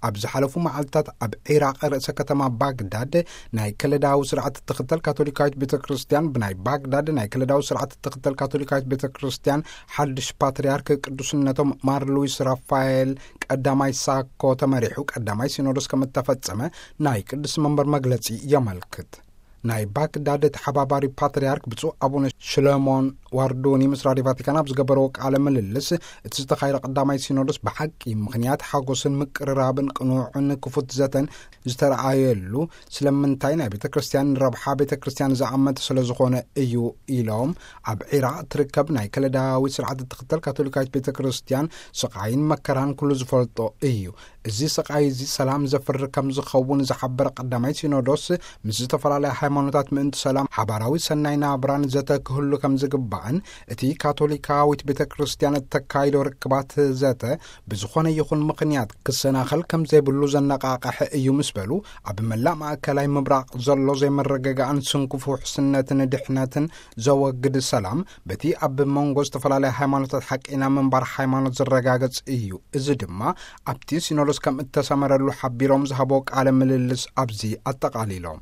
ኣብ ዝሓለፉ መዓልታት ኣብ ዒራቕ ርእሰ ከተማ ባግዳድ ናይ ከለዳዊ ስርዓት እትኽተል ካቶሊካዊት ቤተ ክርስቲያን፣ ብናይ ባግዳድ ናይ ከለዳዊ ስርዓት እትኽተል ካቶሊካዊት ቤተ ክርስቲያን ሓድሽ ፓትርያርክ ቅዱስነቶም ማር ሉዊስ ራፋኤል ቀዳማይ ሳኮ ተመሪሑ ቀዳማይ ሲኖዶስ ከም እተፈጸመ ናይ ቅዱስ መንበር መግለጺ የመልክት። ናይ ባግዳድ ተሓባባሪ ፓትርያርክ ብፁዕ ኣቡነ ሽለሞን ዋርዱኒ ምስ ራድዮ ቫቲካን ኣብ ዝገበረዎ ቃለ ምልልስ፣ እቲ ዝተኻየደ ቀዳማይ ሲኖዶስ ብሓቂ ምኽንያት ሓጎስን ምቅርራብን ቅኑዕን ክፉት ዘተን ዝተረኣየሉ፣ ስለምንታይ ናይ ቤተ ክርስቲያን ረብሓ ቤተ ክርስቲያን ዝኣመተ ስለ ዝኾነ እዩ ኢሎም፣ ኣብ ዒራቕ ትርከብ ናይ ከለዳዊ ስርዓት እትኽተል ካቶሊካዊት ቤተ ክርስቲያን ስቓይን መከራን ኩሉ ዝፈልጦ እዩ። እዚ ስቓይ እዚ ሰላም ዘፍሪ ከም ዝኸውን ዝሓበረ ቀዳማይ ሲኖዶስ፣ ምስ ዝተፈላለያ ሃይማኖታት ምእንቲ ሰላም ሓባራዊ ሰናይ ናብራን ዘተ ክህሉ ከም ዝግባእን፣ እቲ ካቶሊካዊት ቤተ ክርስቲያን እተካይዶ ርክባት ዘተ ብዝኾነ ይኹን ምኽንያት ክሰናኸል ከም ዘይብሉ ዘነቓቕሐ እዩ ምስ በሉ፣ ኣብ መላእ ማእከላይ ምብራቕ ዘሎ ዘይመረጋጋእን ስንኩፍ ውሕስነትን ድሕነትን ዘወግድ ሰላም፣ በቲ ኣብ መንጎ ዝተፈላለያ ሃይማኖታት ሓቀይና ምንባር ሃይማኖት ዝረጋገጽ እዩ። እዚ ድማ ኣብቲ ሲኖዶስ ከም እተሰመረሉ ሓቢሮም ዝሃቦ ቃለ ምልልስ ኣብዚ ኣጠቓሊሎም።